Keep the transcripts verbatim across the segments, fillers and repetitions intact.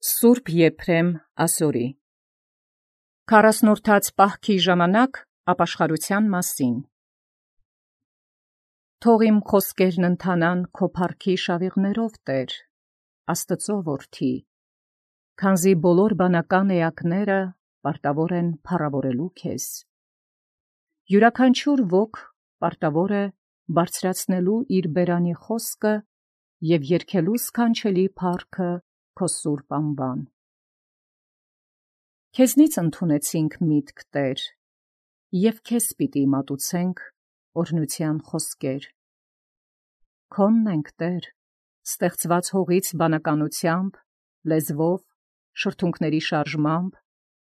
Սուրբ Եփրեմ Ասորի քառասնորդաց պահքի ժամանակ ապաշխարության մասին։ Թող իմ խոսքերն ընթանան քո փառքի շավիղներով, Տեր, Աստծո որդի, քանզի բոլոր բանական էակները պարտավոր են փառավորելու քեզ։ Յուրաքանչյուր ոք պարտավոր է բարձրացնելու իր բերանի խոսքը և երգելու սքանչելի փառքը քո սուրբ անվան։ Քեզնից ընդունեցինք միտք, Տեր, և քեզ պիտի մատուցենք օրհնության խոսքեր։ Քոնն ենք, Տեր, ստեղծված հողից բանականությամբ, լեզվով, շրթունքների շարժմամբ,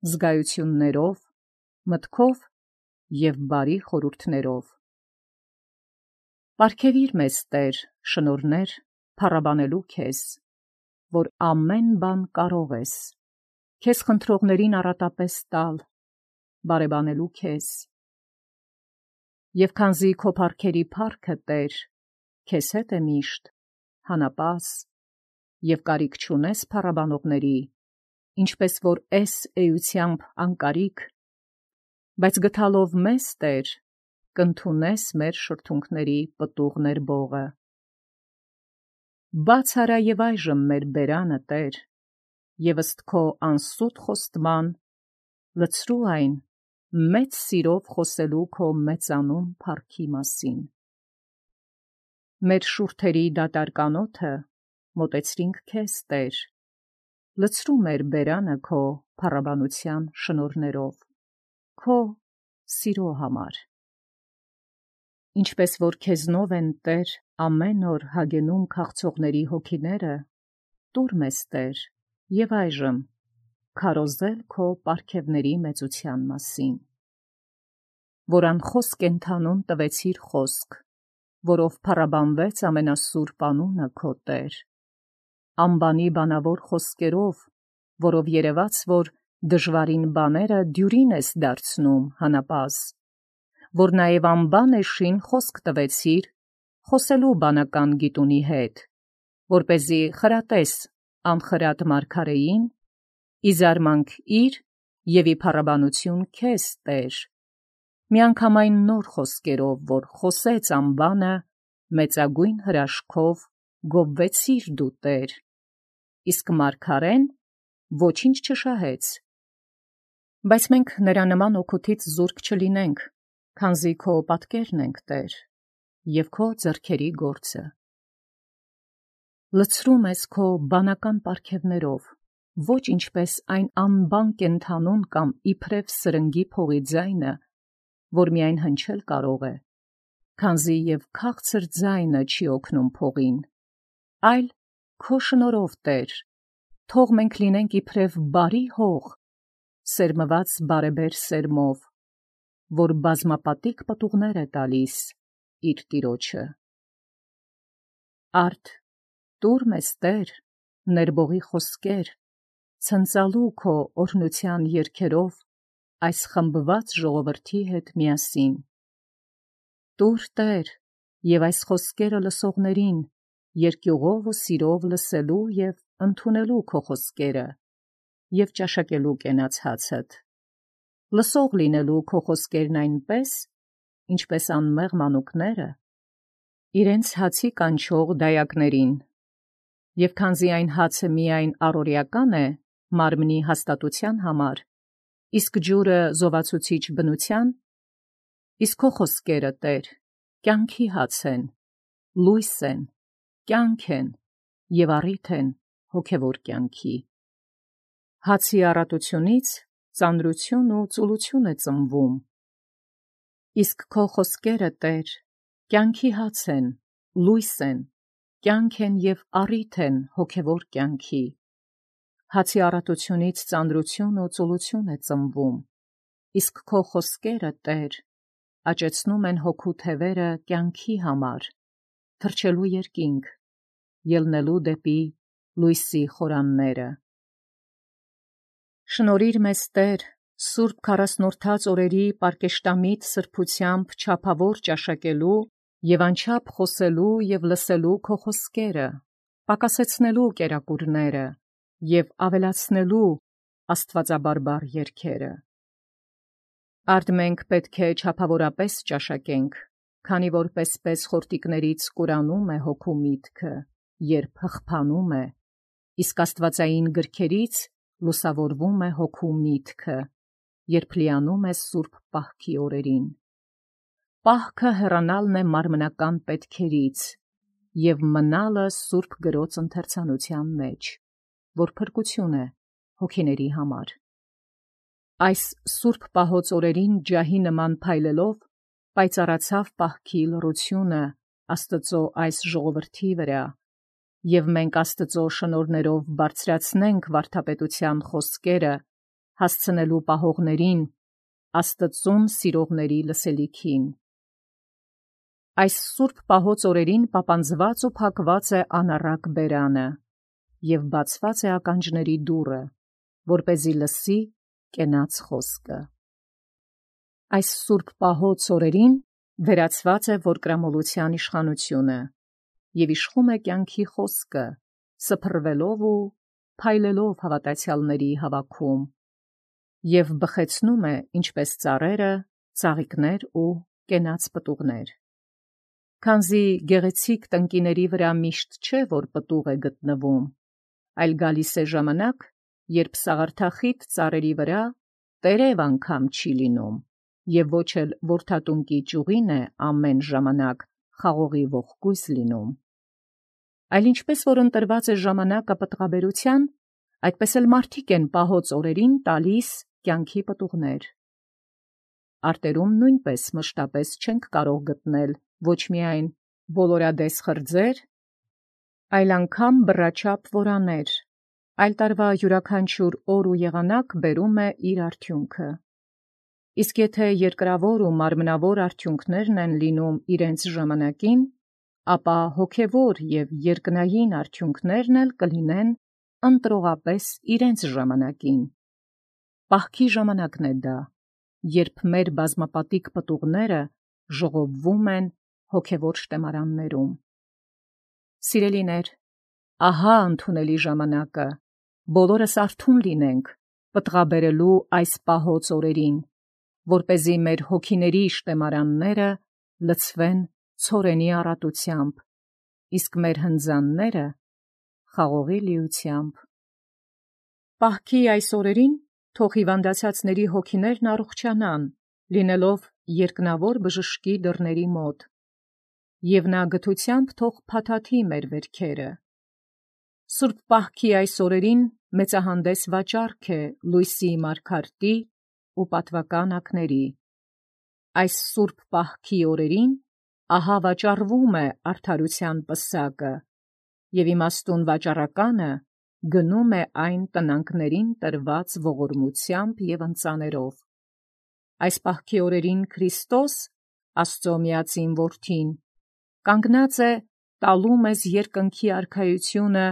զգայություններով, մտքով և բարի խորհուրդներով։ Պարգևիր մեզ, Տեր, շնորհներ փառաբանելու քեզ, որ ամեն բան կարող ես, քեզ խնդրողներին առատապես տալ, բարեբանելու քեզ։ Եվ քանզի քո փառքերի փառքը, Տեր, քեզ հետ է միշտ, հանապազ, և կարիք չունես փառաբանողների, ինչպես որ էս էությամբ անկարիք, բայց գթալով մեզ, Տեր, կընդունես մեր շրթունքների պտուղ ներբողը։ Բաց արա և այժմ մեր բերանը, Տեր, և ըստ քո անսուտ խոստման, լցրու այն մեծ սիրով խոսելու քո մեծանուն փառքի մասին։ Մեր շուրթերի դատարկ անոթը մոտեցրինք քեզ, Տեր, լցրու մեր բերանը քո փառաբանության շնորհներով, քո սիրո համար։ Ինչպես որ քեզնով են, Տեր, ամեն օր հագենում քաղցողների հոգիները, տուր մեզ, Տեր, և այժմ քարոզել քո պարգևների մեծության մասին։ Որ անխոսք կենդանուն տվեցիր խոսք, որով փառաբանվեց ամենասուրբ անունը քո, Տեր, անբանի բանավոր խոսքերով, որով երևաց, որ դժվարին բաները դյուրին ես դարձնում հանապազ, որ նաև անբան էշին խոսք տվեցիր, խոսելու բանական գիտունի հետ, որպեսզի խրատես անխրատ մարգարեին, ի զարմանք իր և ի փառաբանություն քեզ, Տեր, միանգամայն նոր խոսքերով, որ խոսեց անբանը, մեծագույն հրաշքով գովվեցիր դու, Տեր, իսկ մարգարեն ոչինչ չշահեց։ Բայց մենք նրա նման օգուտից զուրկ չլինենք, քանզի քո պատկերն ենք, Տեր, և քո ձեռքերի գործը։ Լցրու մեզ քո բանական պարգևներով, ոչ ինչպես այն անբան կենդանուն կամ իբրև սրնգի փողի ձայնը, որ միայն հնչել կարող է, քանզի և քաղցր ձայնը չի օգնում փողին, այլ քո շնորհով, Տեր, թող մենք լինենք իբրև բարի հող, սերմված բարեբեր սերմով, որ բազմապատիկ պտուղներ է տալիս իր տիրոջը։ Արդ տուր մեզ, Տեր, ներբողի խոսքեր, ցնծալու քո օրհնության երգերով այս խմբված ժողովրդի հետ միասին։ Տուր, Տեր, և այս խոսքերը լսողներին երկյուղով ու սիրով լսելու և ընդունելու քո խոսքերը և ճաշակելու կենաց հացդ, լսող լինելու քո խոսքերն այնպես, ինչպես անմեղ մանուկները իրենց հացի կանչող դայակներին, և քանզի այն հացը միայն առօրեական է մարմնի հաստատության համար, իսկ ջուրը զովացուցիչ բնության, իսկ քո խոսքերը, Տեր, կյանքի հաց են, լույս են, կյանք են և առիթ են հոգևոր կյանքի։ Հացի առատությունից ծանրություն ու ծուլություն է ծնվում, իսկ քո խոսքերը, Տեր, կյանքի հաց են, լույս են, կյանք են և առիթ են հոգևոր կյանքի։ Հացի առատությունից ծանրություն ու ծուլություն է ծնվում, իսկ քո խոսքերը, Տեր, աճեցնում են հոգու թևերը կյանքի համար, թռչելու երկինք, ելնելու դեպի լույսի խորանները։ Շնորհիր մեզ, Տեր, սուրբ քառասնորդաց օրերի պարկեշտամիտ սրբությամբ չափավոր ճաշակելու և անչափ խոսելու և լսելու քո խոսքերը, պակասեցնելու կերակուրները, և ավելացնելու աստվածաբարբար երգերը։ Արդ մենք պետք է չափավորապես ճաշակենք, քանի որ պես-պես խորտիկներից կուրանում է հոգու միտքը, երբ հղբանում է, իսկ աստվածային գրքերից լուսավորվում է հոգու միտքը, երբ լիանում է սուրբ պահքի օրերին։ Պահքը հեռանալն է մարմնական պետքերից և մնալը սուրբ գրոց ընթերցանության մեջ, որ փրկություն է հոգիների համար։ Այս սուրբ պահոց օրերին ջահի նման փայլելով պայծառացավ պահքի լռությունը Աստծո այս ժողովրդի վրա, և մենք Աստծո շնորհներով բարձրացնենք վարդապետության խոսքերը, հասցնելու պահողներին Աստծուն սիրողների լսելիքին։ Այս սուրբ պահոց օրերին պապանձված ու փակված է անառակ բերանը, և բացված է ականջների դուռը, որպեսզի լսի կենաց խոսքը։ Այս սուրբ պահոց օրերին վերացված է որդկրամոլության իշխանությունը, և իշխում է կյանքի խոսքը, սփռվելով ու փայլելով հավատացյալների հավաքում, և բխեցնում է, ինչպես ծառերը, ծաղիկներ ու կենաց պտուղներ։ Քանզի գեղեցիկ տնկիների վրա միշտ չէ, որ պտուղ է գտնվում, այլ գալիս է ժամանակ, երբ սաղարթախիտ ծառերի վրա տերև անգամ չի լինում, և ոչ էլ որդատունկի ճյուղին է ամեն ժամանակ խաղողի ողկույզ լինում։ Այլ ինչպես որ ընտրված է ժամանակը պտղաբերության, այդպես էլ մարդիկ են պահոց օրերին տալիս կյանքի պտուղներ։ Արտերում նույնպես մշտապես չենք կարող գտնել ոչ միայն բոլորադես խրձեր, այլ անգամ բռաչապ որաներ, այլ տարվա յուրաքանչյուր օր ու եղանակ բերում է իր արդյունքը։ Իսկ եթե երկրավոր ու մարմնավոր արդյունքներն են լինում իրենց ժամանակին, ապա հոգևոր և երկնային արդյունքներն էլ կլինեն ընտրողապես իրենց ժամանակին։ Պահքի ժամանակն է դա, երբ մեր բազմապատիկ պտուղները ժողովվում են հոգևոր շտեմարաններում։ Սիրելիներ, ահա ընդունելի ժամանակը, բոլորս արթուն լինենք պտղաբերելու այս պահոց օրերին, որպեսզի մեր հոգիների շտեմարանները լցվեն ցորենի առատությամբ, իսկ մեր հնձանները խաղողի լիությամբ։ Պահքի այս օրերին թող հիվանդացածների հոգիներն առողջանան, լինելով երկնավոր բժշկի դռների մոտ, և նա գթությամբ թող փաթաթի մեր վերքերը։ Սուրբ պահքի այս օրերին մեծահանդես վաճառք է լույսի մարգարտի ու պատվական ակների։ Այս սուրբ պահքի օրերին ահա վաճառվում է արդարության պսակը, և իմաստուն վաճառականը գնում է այն տնանքներին տրված ողորմությամբ և ընծաներով։ Այս պահքի օրերին Քրիստոս, Աստծո միածին Որդին, կանգնած է տալու մեզ երկնքի արքայությունը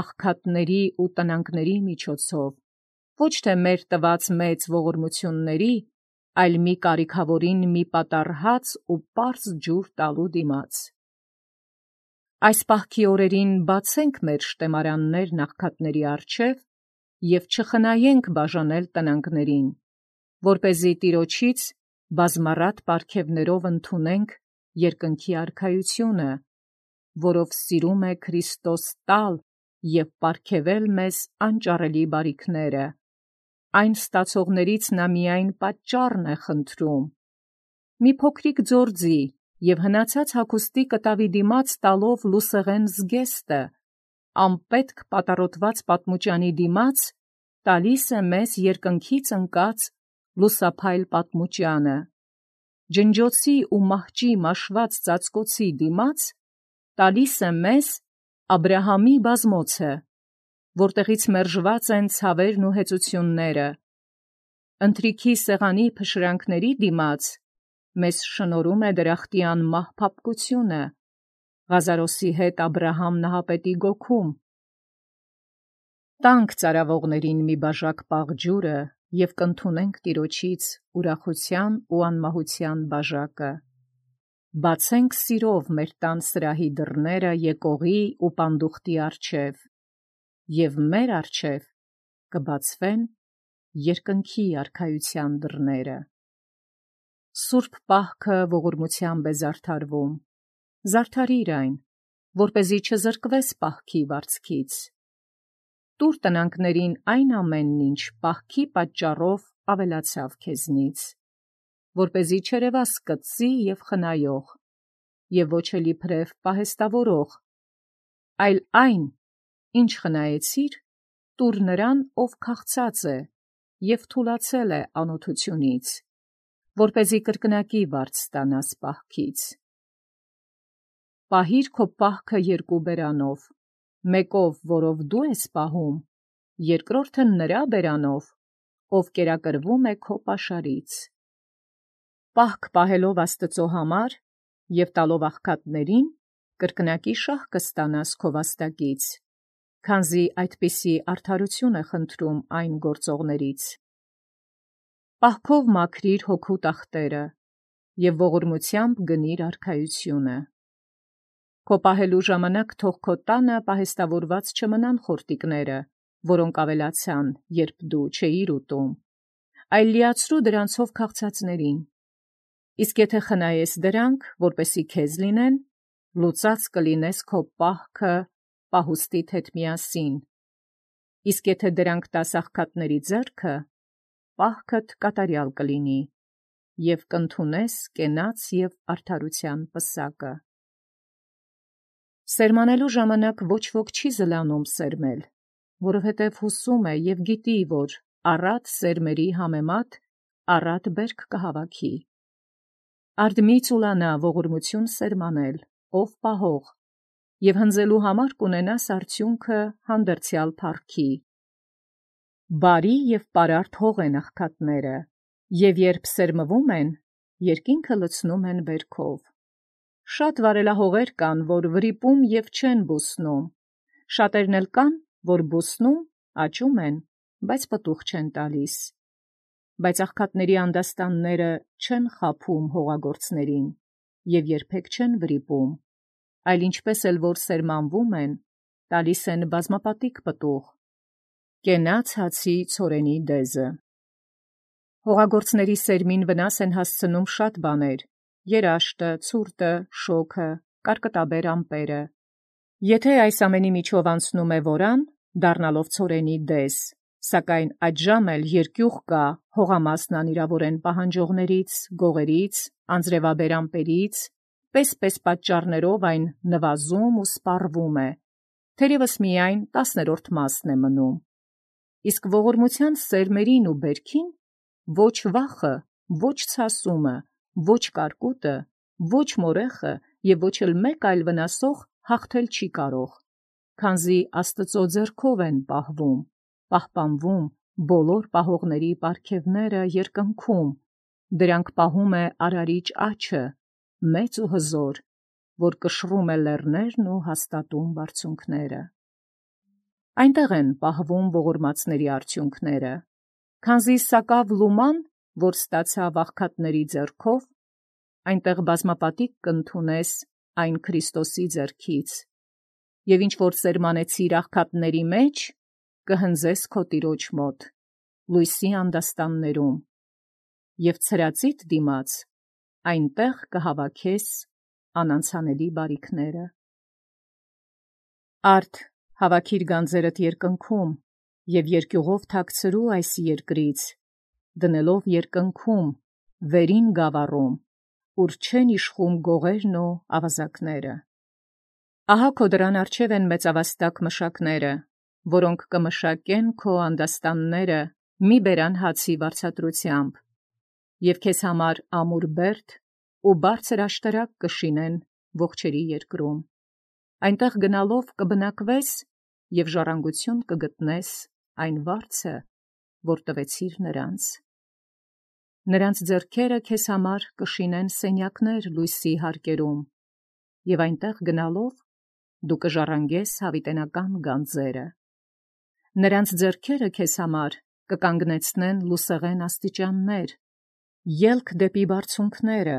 աղքատների ու տնանքների միջոցով, ոչ թե մեր տված մեծ ողորմությունների, այլ մի կարիքավորին մի պատառ հաց ու պարզ ջուր տալու դիմաց։ Այս պահքի օրերին բացենք մեր շտեմարաններն աղքատների առջև և չխնայենք բաժանել տնանքներին, որպեսզի Տիրոջից բազմառատ պարգևներով ընդունենք երկնքի արքայությունը, որով սիրում է Քրիստոս տալ և պարգևել մեզ անճարելի բարիքները, այն ստացողներից նա միայն պատճառն է խնդրում։ Մի փոքրիկ ձորձի և հնացած հագուստի կտավի դիմաց տալով լուսեղեն զգեստը, անպետք պատառոտված պատմուճանի դիմաց տալիս է մեզ երկնքից ընկած լուսափայլ պատմուճանը, ջնջոցի ու մահճի մաշված ծածկոցի դիմաց տալիս է մեզ Աբրահամի բազմոցը, որտեղից մերժված են ցավերն ու հեծությունները, ընթրիքի սեղանի փշրանքների դիմաց մեզ շնորհում է դրախտի անմահ փափկությունը, Ղազարոսի հետ Աբրահամ նահապետի գոգում։ Տանք ծարավողներին մի բաժակ պաղ ջուրը և կընդունենք Տիրոջից ուրախության ու անմահության բաժակը։ Բացենք սիրով մեր տան սրահի դռները եկողի ու պանդուխտի առջև և մեր առջև կբացվեն երկնքի արքայության դռները։ Սուրբ պահքը ողորմությամբ է զարդարվում, զարդարիր այն, որպեսզի չզրկվես պահքի վարձքից։ Տուր տնանքներին այն ամենն, ինչ պահքի պատճառով ավելացավ քեզնից, որպեսզի չերևաս կծի և խնայող, և ոչ էլ իբրև պահեստավորող, այլ այն, ինչ խնայեցիր, տուր նրան, ով քաղցած է և թուլացել է անօթությունից, որպեսզի կրկնակի վարձ ստանաս պահքից։ Պահիր քո պահքը երկու բերանով, մեկով, որով դու ես պահում, երկրորդը նրա բերանով, ով կերակրվում է քո պաշարից։ Պահք պահելով Աստծո համար և տալով աղքատներին, կրկնակի շահ կստանաս քո վաստակից, քանզի այդպիսի արդարություն է խնդրում այն գործողներից։ Պահքով մաքրիր հոգու տախտերը և ողորմությամբ գնիր արքայությունը։ Քո պահելու ժամանակ թող քո տանը պահեստավորված չմնան խորտիկները, որոնք ավելացան, երբ դու չէիր ուտում, այլ լիացրու դրանցով քաղցածներին։ Իսկ եթե խնայես դրանք, որպեսզի քեզ լինեն, լուծած կլինես քո պահքը պահուստիդ հետ միասին։ Իսկ եթե դրանք տաս աղքատների ձեռքը, պահքդ կատարյալ կլինի, և կընդունես կենաց և արդարության պսակը։ Սերմանելու ժամանակ ոչ ոք չի զլանում սերմել, որովհետև հուսում է և գիտի, որ առատ սերմերի համեմատ առատ բերք կհավաքի։ Արդ մի ծուլանա ողորմություն սերմանել, ով պահող, և հնձելու համար կունենաս արդյունքը հանդերձյալ փառքի։ Բարի և պարարտ հող են աղքատները, և երբ սերմվում են, երկինքը լցնում են բերքով։ Շատ վարելահողեր կան, որ վրիպում և չեն բուսնում, շատերն էլ կան, որ բուսնում, աճում են, բայց պտուղ չեն տալիս։ Բայց աղքատների անդաստանները չեն խաբում հողագործներին և երբեք չեն վրիպում, այլ ինչպես էլ որ սերմանվում են, տալիս են բազմապատիկ պտուղ։ Կենաց հացի ցորենի դեզը։ Հողագործների սերմին վնաս են հասցնում շատ բաներ՝ երաշտը, ցուրտը, շոգը, կարկտաբեր ամպերը։ Եթե այս ամենի միջով անցնում է որան, դառնալով ցորենի դես, սակայն այդժամ էլ երկյուղ կա հողամասն անիրավորեն պահանջողներից, գողերից, անձրևաբեր ամպերից, պես-պես պատճառներով այն նվազում ու սպառվում է, թերևս միայն տասներորդ մասն է մնում։ Իսկ ողորմության սերմերին ու բերքին ոչ վախը, ոչ ցասումը, ոչ կարկուտը, ոչ մորեխը և ոչ էլ մեկ այլ վնասող հաղթել չի կարող, քանզի Աստծո ձեռքով են պահվում, պահպանվում բոլոր պահողների պարգևները երկնքում, դրանք պահում է Արարիչ աջը, մեծ ու հզոր, որ կշռում է լեռներն ու հաստատում բարձունքները։ Այնտեղ են պահվում ողորմածների արդյունքները, քանզի սակավ լուման, որ ստացավ աղքատների ձեռքով, այնտեղ բազմապատիկ կընդունես այն Քրիստոսի ձեռքից, և ինչ որ սերմանեցիր աղքատների մեջ, կհնձես քո Տիրոջ մոտ, լույսի անդաստաններում, և ցրածիդ դիմաց այնտեղ կհավաքես անանցանելի բարիքները։ Արդ հավաքիր գանձերդ երկնքում և երկյուղով թաքցրու այս երկրից, դնելով երկնքում, վերին գավառում, ուր չեն իշխում գողերն ու ավազակները։ Ահա քո դռան առջև են մեծավաստակ մշակները, որոնք կմշակեն քո անդաստանները մի բերան հացի վարձատրությամբ, և քեզ համար ամուր բերդ ու բարձր աշտարակ կշինեն ողջերի երկրում։ Այնտեղ գնալով կբնակվես և ժառանգություն կգտնես այն վարձը, որ տվեցիր նրանց։ Նրանց ձեռքերը քեզ համար կշինեն սենյակներ լույսի հարկերում, և այնտեղ գնալով դու կժառանգես հավիտենական գանձերը։ Նրանց ձեռքերը քեզ համար կկանգնեցնեն լուսեղեն աստիճաններ, ելք դեպի բարձունքները,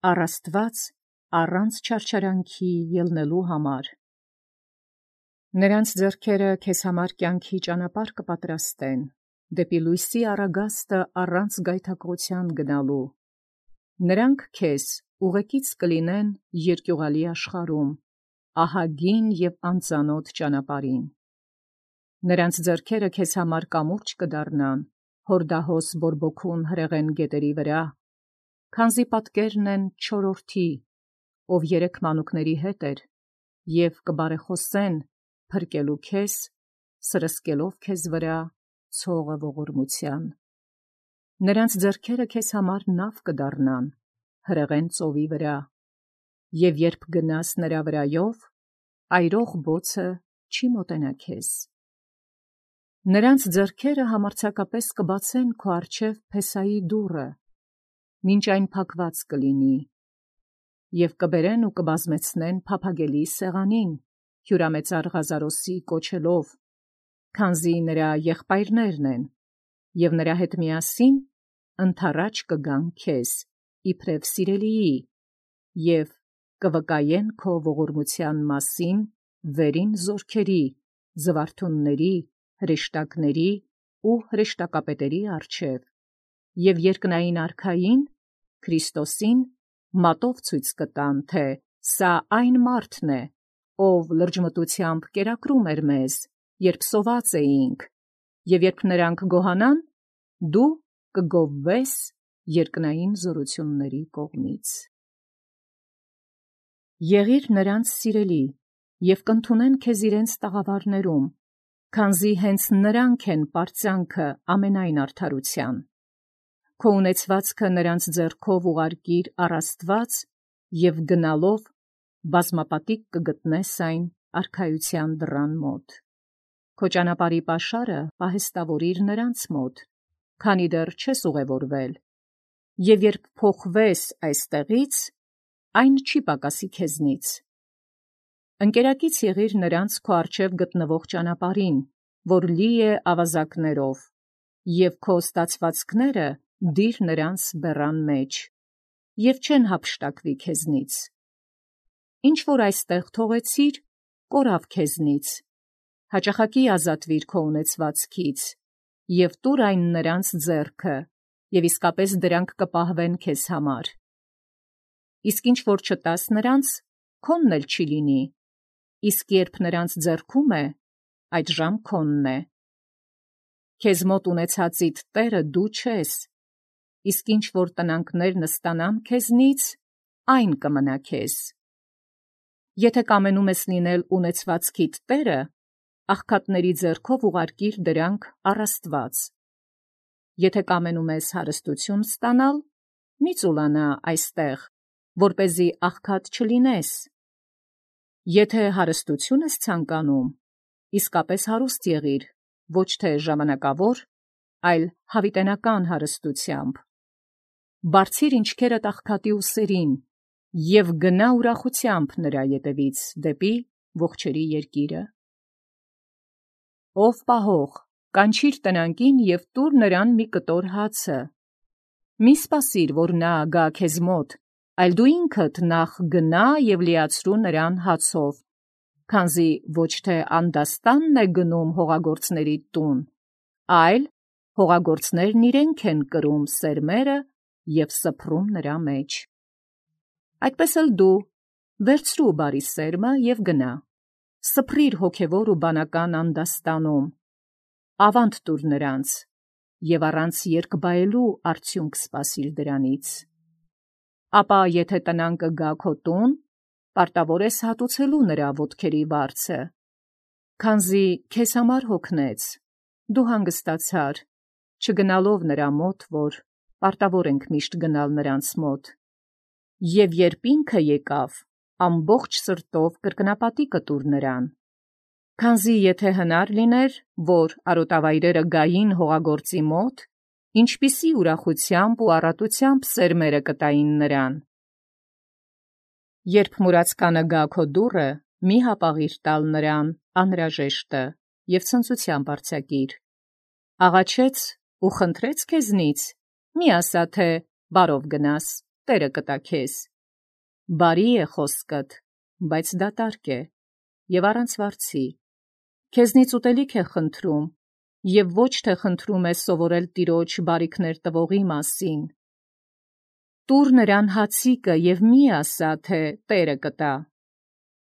առ Աստված առանց չարչարանքի ելնելու համար։ Նրանց ձեռքերը քեզ համար կյանքի ճանապարհ կպատրաստեն, դեպի լույսի առագաստը առանց գայթակղության գնալու։ Նրանք քեզ ուղեկից կլինեն երկյուղալի աշխարհում, ահագին և անծանոթ ճանապարհին։ Նրանց ձեռքերը քեզ համար կամուրջ կդառնան, հորդահոս բորբոքուն հրեղեն գետերի վրա, քանզի պատկերն են չորրորդի, ով երեք մանուկների հետ էր, և կբարեխոսեն, փրկելու քեզ, սրսկելով քեզ վրա ցողը ողորմության։ Նրանց ձեռքերը քեզ համար նավ կդառնան, հրեղեն ծովի վրա, և երբ գնաս նրա վրայով, այրող բոցը չի մոտենա քեզ։ Նրանց ձեռքերը համարձակապես կբացեն քո առջև փեսայի դուռը, մինչ այն փակված կլինի, և կբերեն ու կբազմեցնեն փափագելի սեղանին, հյուրամեծար Ղազարոսի կոչելով, քանզի նրա եղբայրներն են, և նրա հետ միասին ընդառաջ կգան քեզ, իբրև սիրելիի, և կվկայեն քո ողորմության մասին վերին զորքերի, զվարթունների, հրեշտակների ու հրեշտակապետերի առջև, և երկնային արքային, Քրիստոսին, մատով ցույց կտան, թե սա այն մարդն է, ով լրջմտությամբ կերակրում էր մեզ, երբ սոված էինք, և երբ նրանք գոհանան, դու կգովվես երկնային զորությունների կողմից։ Եղիր նրանց սիրելի, և կընդունեն քեզ իրենց տաղավարներում, քանզի հենց նրանք են պարծանքը ամենայն արդարության։ Քո ունեցվածքը նրանց ձեռքով ուղարկիր առ Աստված, և գնալով բազմապատիկ կգտնես այն արքայության դռան մոտ։ Քո ճանապարհի պաշարը պահեստավորիր նրանց մոտ, քանի դեռ չես ուղևորվել, և երբ փոխվես այստեղից, այն չի պակասի քեզնից։ Ընկերակից եղիր նրանց քո առջև գտնվող ճանապարհին, որ լի է ավազակներով, և քո ստացվածքները դիր նրանց բեռան մեջ, և չեն հափշտակվի քեզնից։ Ինչ որ այստեղ թողեցիր, կորավ քեզնից, հաճախակի ազատվիր քո ունեցվածքից, և տուր այն նրանց ձեռքը, և իսկապես դրանք կպահվեն քեզ համար։ Իսկ ինչ որ չտաս նրանց, քոնն էլ չի լինի, իսկ երբ նրանց ձեռքում է, այդժամ քոնն է։ Քեզ մոտ ունեցածիդ տերը դու չես, իսկ ինչ որ տնանքներ նստանան քեզնից, այն կմնա քեզ։ Եթե կամենում ես լինել ունեցվածքիդ տերը, աղքատների ձեռքով ուղարկիր դրանք առ Աստված։ Եթե կամենում ես հարստություն ստանալ, մի ծուլանա այստեղ, որպեսզի աղքատ չլինես։ Եթե հարստություն ես ցանկանում, իսկապես հարուստ եղիր, ոչ թե ժամանակավոր, այլ հավիտենական հարստությամբ։ Բարձիր ինչքերդ աղքատի ուսերին և գնա ուրախությամբ նրա ետևից դեպի ողջերի երկիրը։ Ով պահող, կանչիր տնանկին և տուր նրան մի կտոր հացը։ Մի սպասիր, որ նա գա քեզ մոտ, այլ դու ինքդ նախ գնա և լիացրու նրան հացով, քանզի ոչ թե անդաստանն է գնում հողագործների տուն, այլ հողագործներն իրենք են կրում սերմերը և սփռում նրա մեջ։ Այդպես էլ դու վերցրու բարի սերմը և գնա, սփռիր հոգևոր ու բանական անդաստանում, ավանդ տուր նրանց, և առանց երկբայելու արդյունք սպասիր դրանից։ Ապա եթե տնանկը գա քո տուն, պարտավոր ես հատուցելու նրա ոտքերի վարձը, քանզի քեզ համար հոգնեց, դու հանգստացար, չգնալով նրա մոտ, որ պարտավոր ենք միշտ գնալ նրանց մոտ, և երբ ինքը եկավ, ամբողջ սրտով կրկնապատիկը տուր նրան, քանզի եթե հնար լիներ, որ արոտավայրերը գային հողագործի մոտ, ինչպիսի ուրախությամբ ու առատությամբ սերմերը կտային նրան։ Երբ մուրացկանը գա քո դուռը, մի հապաղիր տալ նրան անհրաժեշտը և ցնծությամբ արձակիր։ Աղաչեց ու խնդրեց քեզնից, մի ասա, թե բարով գնաս, Տերը կտա քեզ։ Բարի է խոսքդ, բայց դատարկ է և առանց վարձի, քեզնից ուտելիք է խնդրում, և ոչ թե խնդրում է սովորել տիրոջ բարիքներ տվողի մասին։ Տուր նրան հացիկը և մի ասա, թե Տերը կտա,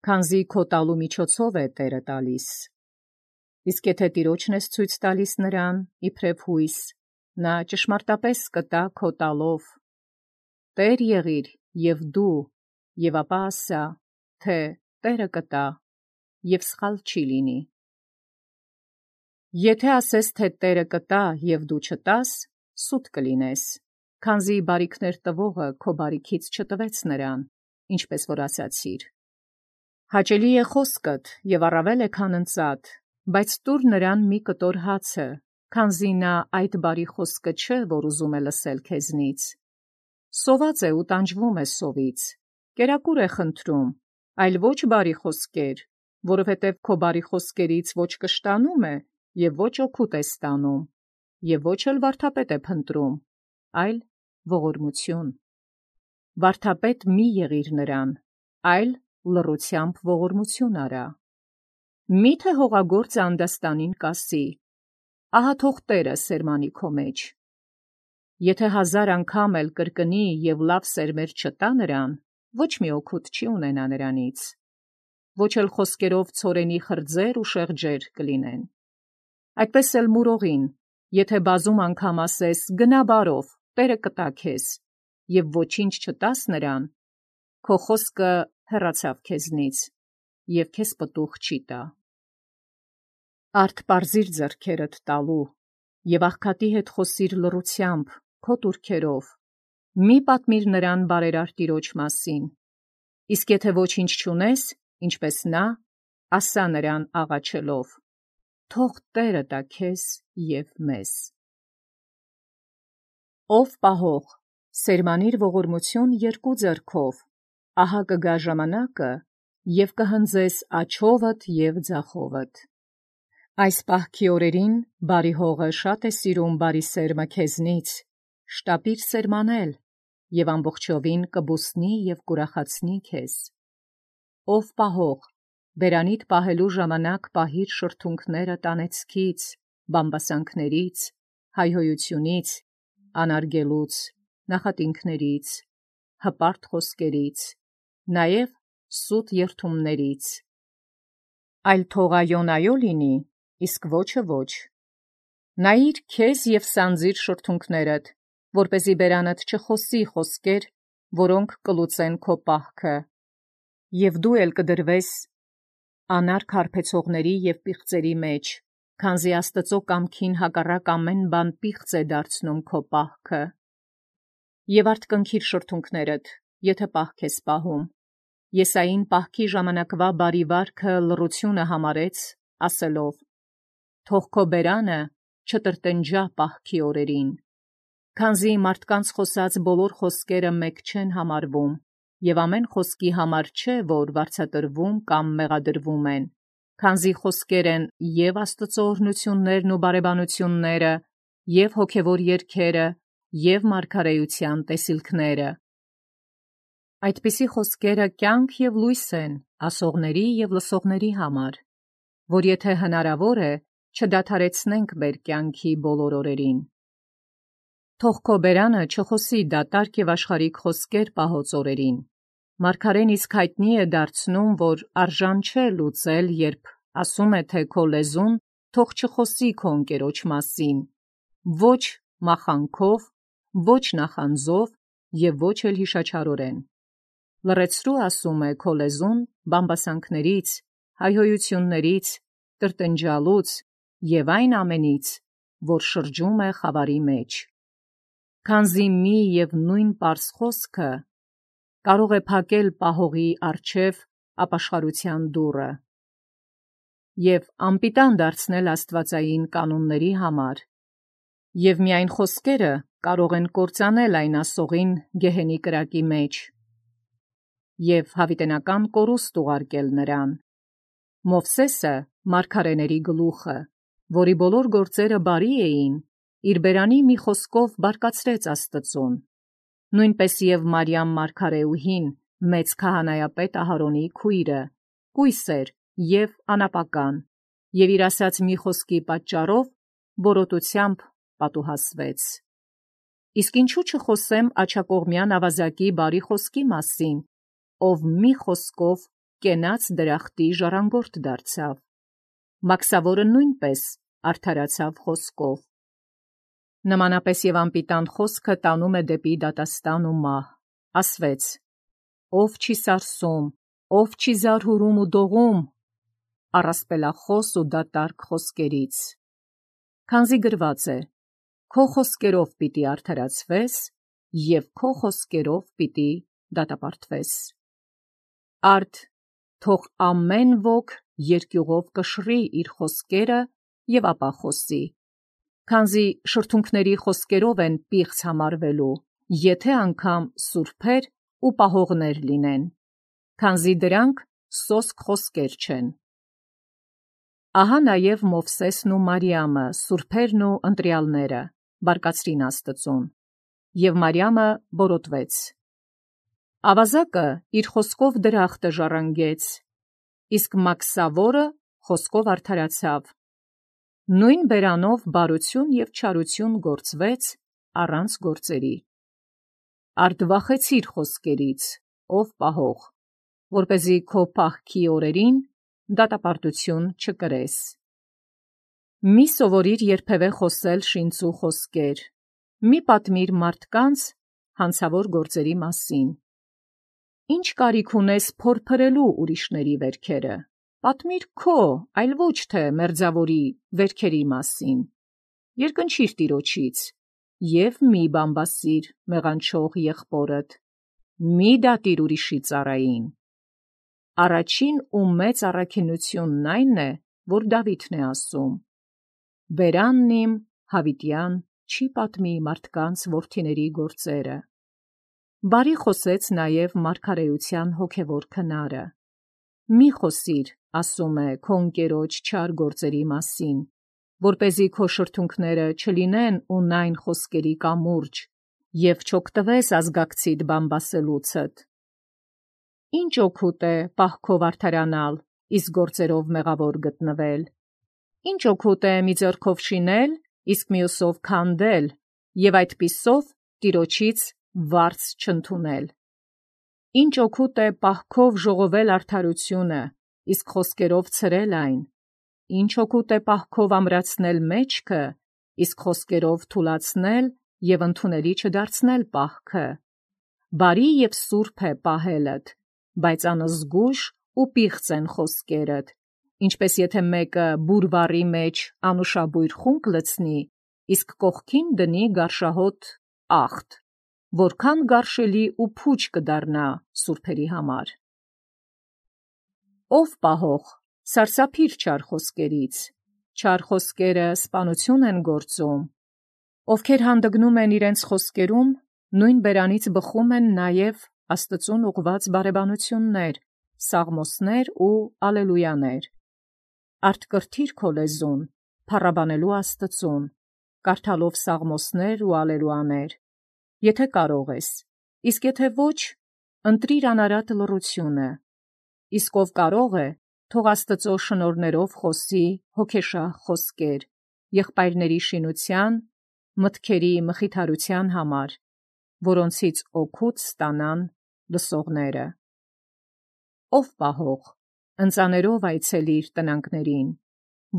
քանզի քո տալու միջոցով է Տերը տալիս։ Իսկ եթե տիրոջն ես ցույց տալիս նրան, իբրև հույս, նա ճշմարտապես կտա քո տալով։ Տեր եղիր և դու, և ապա ասա, թե Տերը կտա, և սխալ չի լինի։ Եթե ասես, թե Տերը կտա, և դու չտաս, սուտ կլինես, քանզի բարիքներ տվողը քո բարիքից չտվեց նրան, ինչպես որ ասացիր։ Հաճելի է խոսքդ և առավել է, քան ընծատ, բայց տուր նրան մի կտոր հացը, քանզի նա այդ բարի խոսքը չէ, որ ուզում է լսել քեզնից։ Սոված է ու տանջվում է սովից, կերակուր է խնդրում, այլ ոչ բարի խոսքեր, որովհետև քո բարի խոսքերից ոչ կշտանում է և ոչ օգուտ է ստանում, և ոչ էլ վարդապետ է փնտրում, այլ ողորմություն։ Վարդապետ մի եղիր նրան, այլ լռությամբ ողորմություն արա։ Մի՞թե հողագործը անդաստանին կասի. «Ահա թող Տերը սերմանի քո մեջ»։ Եթե հազար անգամ էլ կրկնի և լավ սերմեր չտա նրան, ոչ մի օգուտ չի ունենա նրանից, ոչ էլ խոսքերով ցորենի խրձեր ու շեղջեր կլինեն։ Այդպես էլ մուրողին, եթե բազում անգամ ասես գնա բարով, Տերը կտա քեզ, և ոչինչ չտաս նրան, քո խոսքը հեռացավ քեզնից, և քեզ պտուղ չի տա։ Արդ պարզիր ձեռքերդ տալու, և աղքատի հետ խոսիր լռությամբ, քո տուրքերով, մի պատմիր նրան բարերար տիրոջ մասին, իսկ եթե ոչինչ չունես, ինչպես նա, ասա նրան աղաչելով. թող Տերը տա քեզ և մեզ։ Ով պահող, սերմանիր ողորմություն երկու ձեռքով, ահա կգա ժամանակը, և կհնձես աջովդ և ձախովդ։ Այս պահքի օրերին բարի հողը շատ է սիրում բարի սերմը քեզնից, շտապիր սերմանել, և ամբողջովին կբուսնի և կուրախացնի քեզ։ Ով պահող, բերանիդ պահելու ժամանակ պահիր շրթունքները տանեցքից, բամբասանքներից, հայհոյությունից, անարգելուց, նախատինքներից, հպարտ խոսքերից, նաև սուտ երդումներից։ Այլ թող այոն այո լինի, իսկ ոչը ոչ։ Նայիր քեզ և սանձիր շրթունքներդ, որպեսզի բերանդ չխոսի խոսքեր, որոնք կլուծեն քո պահքը, և դու էլ կդրվես անարգ հարբեցողների և պիղծերի մեջ, քանզի Աստծու կամքին հակառակ ամեն բան պիղծ է դարձնում քո պահքը։ Եվ արդ կնքիր շրթունքներդ, եթե պահք ես պահում։ Եսային պահքի ժամանակվա բարի վարքը լռությունը համարեց, ասելով. թող քո բերանը չտրտնջա պահքի օրերին, քանզի մարդկանց խոսած բոլոր խոսքերը մեկ չեն համարվում, և ամեն խոսքի համար չէ, որ վարձատրվում կամ մեղադրվում են, քանզի խոսքեր են և Աստծու օրհնություններն ու բարեբանությունները, և հոգևոր երգերը, և մարգարեության տեսիլքները։ Այդպիսի խոսքերը կյանք և լույս են ասողների և լսողների համար, որ եթե հնարավոր է, չդադարեցնենք մեր կյանքի բոլոր օրերին։ Թող քո բերանը չխոսի դատարկ և աշխարհիկ խոսքեր պահոց օրերին։ Մարգարեն իսկ հայտնի է դարձնում, որ արժան չէ լուծել, երբ ասում է, թե քո լեզուն թող չխոսի քո ընկերոջ մասին, ոչ մախանքով, ոչ նախանձով և ոչ էլ հիշաչարորեն։ Լռեցրու, ասում է, քո լեզուն բամբասանքներից, հայհոյություններից, տրտնջալուց և այն ամենից, որ շրջում է խավարի մեջ։ Քանզի մի և նույն պարզ խոսքը կարող է փակել պահողի առջև ապաշխարության դուռը և անպիտան դարձնել աստվածային կանոնների համար, և միայն խոսքերը կարող են կործանել այն ասողին գեհենի կրակի մեջ և հավիտենական կորուստ ուղարկել նրան։ Մովսեսը, մարգարեների գլուխը, որի բոլոր գործերը բարի էին, իր բերանի մի խոսքով բարկացրեց Աստծուն։ Նույնպես և Մարիամ մարգարեուհին, մեծ քահանայապետ Ահարոնի քույրը, կույս էր և անապական, և իր ասած մի խոսքի պատճառով բորոտությամբ պատուհասվեց։ Իսկ ինչու չխոսեմ աջակողմյան ավազակի բարի խոսքի մասին, ով մի խոսքով կենաց դրախտի ժառանգորդ դարձավ։ Մաքսավորը նույնպես արդարացավ խոսքով։ Նմանապես և անպիտան խոսքը տանում է դեպի դատաստան ու մահ։ Ասվեց. «Ով չի սարսում, ով չի զարհուրում ու դողում, առասպելախոս ու դատարկ խոսքերից»։ Քանզի գրված է. «Քո խոսքերով պիտի արդարացվես, և քո խոսքերով պիտի դատապարտվես»։ Արդ թող ամեն ոք երկյուղով կշռի իր խոսքերը և ապա խոսի, քանզի շրթունքների խոսքերով են պիղծ համարվելու, եթե անգամ սուրբեր ու պահողներ լինեն, քանզի դրանք սոսկ խոսքեր չեն։ Ահա նաև Մովսեսն ու Մարիամը, սուրբերն ու ընտրյալները, բարկացրին Աստծուն, և Մարիամը բորոտվեց։ Ավազակը իր խոսքով դրախտը ժառանգեց, իսկ մաքսավորը խոսքով արդարացավ։ Նույն բերանով բարություն և չարություն գործվեց առանց գործերի։ Արդ վախեցիր խոսքերից, ով պահող, որպեսզի քո պահքի օրերին դատապարտություն չկրես։ Մի սովորիր երբևէ խոսել շինծու խոսքեր, մի պատմիր մարդկանց հանցավոր գործերի մասին։ Ինչ կարիք ունես փորփրելու ուրիշների վերքերը, պատմիր քո, այլ ոչ թե մերձավորի վերքերի մասին։ Երկնչիր Տիրոջից և մի բամբասիր մեղանչող եղբորդ, մի դատիր ուրիշի ծառային։ Առաջին ու մեծ առաքինությունն այն է, որ Դավիթն է ասում. «Բերանն իմ հավիտյան չի պատմի մարդկանց որդիների գործերը»։ Բարի խոսեց նաև մարգարեության հոգևոր քնարը. «Մի խոսիր, ասում է, քո ընկերոջ չար գործերի մասին, որպեսզի քո շրթունքները չլինեն ունայն խոսքերի կամուրջ, և չօգտվես ազգակցիդ բամբասելուցդ։ Ինչ օգուտ է պահքով արդարանալ, իսկ գործերով մեղավոր գտնվել։ Ինչ օգուտ է մի ձեռքով շինել, իսկ մյուսով քանդել, և այդպիսով Տիրոջից վարձ չընդունել։ Ինչ օգուտ է պահքով ժողովել արդարությունը, իսկ խոսքերով ցրել այն։ Ինչ օգուտ է պահքով ամրացնել մեջքը, իսկ խոսքերով թուլացնել և ընդունելի չդարձնել պահքը։ Բարի և սուրբ է պահելդ, բայց անզգույշ ու պիղծ են խոսքերդ, ինչպես եթե մեկը բուրվառի մեջ անուշաբույր խունկ լցնի, իսկ կողքին դնի գարշահոտ աղտ, որքան գարշելի ու փուչ կդառնա սուրբերի համար։ Ով պահող, սարսափիր չար խոսքերից, չար խոսքերը սպանություն են գործում։ Ովքեր հանդգնում են իրենց խոսքերում, նույն բերանից բխում են նաև Աստծուն ուղղված բարեբանություններ, սաղմոսներ ու ալելույաներ։ Արդ կրթիր քո լեզուն, փառաբանելու Աստծուն, կարդալով սաղմոսներ ու ալելույաներ, եթե կարող ես, իսկ եթե ոչ, ընտրիր անարատ լռությունը։ Իսկ ով կարող է, թող Աստծո շնորհներով խոսի հոգեշահ խոսքեր, եղբայրների շինության, մտքերի մխիթարության համար, որոնցից օգուտ ստանան լսողները։ Ով պահող, ընծաներով այցելիր տնանքներին,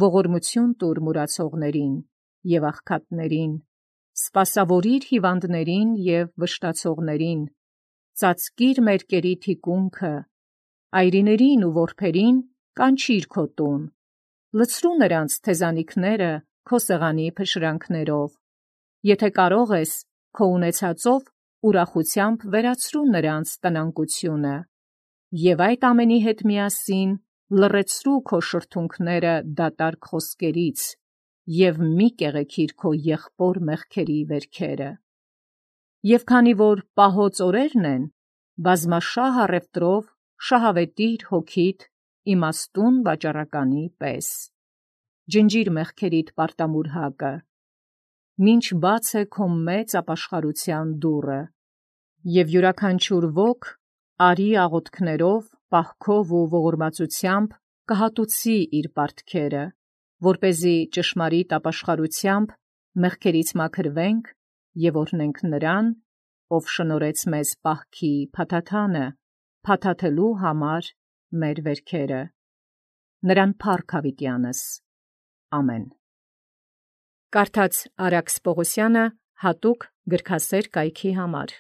ողորմություն տուր մուրացողներին և աղքատներին, սպասավորիր հիվանդներին և վշտացողներին, ծածկիր մերկերի թիկունքը, այրիներին ու որբերին կանչիր քո տուն, լցրու նրանց թեզանիքները քո սեղանի փշրանքներով, եթե կարող ես, քո ունեցածով ուրախությամբ վերացրու նրանց տնանկությունը, և այդ ամենի հետ միասին լռեցրու քո շրթունքները դատարկ խոսքերից և մի կեղեքիր քո եղբոր մեղքերի վերքերը։ Եվ քանի որ պահոց օրերն են, բազմաշահ առևտրով շահավետիր հոգիդ իմաստուն վաճառականի պես։ Ջնջիր մեղքերիդ պարտամուրհակը, մինչ բաց է քո մեծ ապաշխարության դուռը, և յուրաքանչյուր ոք արի աղոթքներով, պահքով ու ողորմածությամբ կհատուցի իր պարտքերը, որպեսզի ճշմարիտ ապաշխարութեամբ մեղքերից մաքրվենք և օրհնենք նրան, ով շնորհեց մեզ պահքի փաթաթանը, փաթաթելու համար մեր վերքերը. նրան փառք հավիտյանս։ Ամեն։ Կարդաց Արաքս Պողոսյանը հատուկ գրքասեր կայքի համար։